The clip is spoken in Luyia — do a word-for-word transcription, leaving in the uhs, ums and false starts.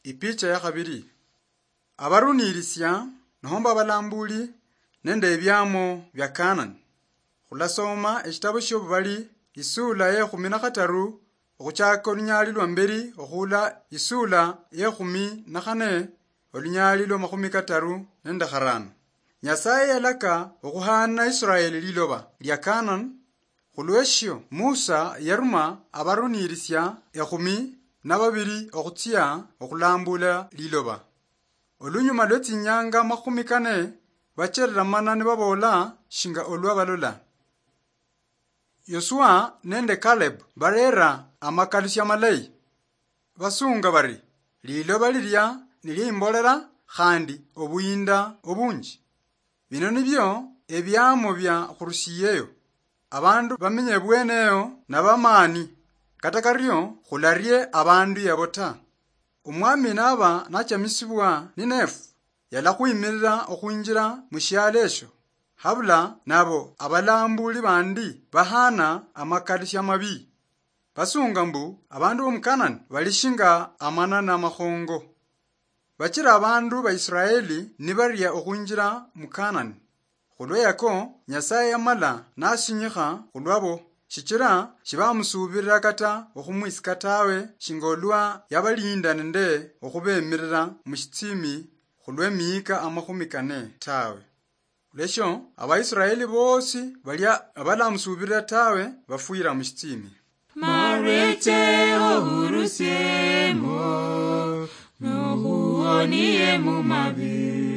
Ipicha ya khabiri. Abarunirisia nohomba abalambuli nende ebiamo bia Kanani. Khulasoma eshitabo shiobubali, isula ye khumi na khataru, okhuchaka olunyali lwa mberi okhula isula ye khumi na khane, olunyali lwa makhumi kataru nende kharano. Nyasaye yalaka okhuhana Israeli liloba lia Kanani. Khulweshio Musa yaruma abarunirisia ekhumi na babiri okhutsia okhulambula liloba. Olunyuma lwe tsinyanga makhumi kane, bacherera mana nibaboola shinga olwa balola. Yosua nende Caleb barera amakalusia malayi. Basunga bari, "Liloba lilia niliimbolela khandi obuyinda obunji." Bino nibio ebiamo bia khurushiyeyo. Abandu bamenye ebweneyo nabamaani, kata kario khularie abandu yabo ta. Omwami naba nachamisibwa ninefu, yalakhwimirira okhwinjira mushialo esho, habula nabo abalambuli bandi bahana amakali shamabi. Basunga mbu abandu bomukanani bali shinga amanana amakhongo. Bachira abandu ba Israeli nibaria okhwinjira mu Kanani. Khulwa yako, Nyasaye yamala nasinyikha khulwabo, shichira shibamusuubirira kata okhumwisika tawe, shinga olwa yabalinda nende okhubemirira mu shitsimi khulw'emiyika amakhumi kane tawe. Lesho Abaisraeli bosi balia abalamusuubirira tawe, bafwira mu shitsimi. Mareche ohurusiemo, nohuonie mu mabi.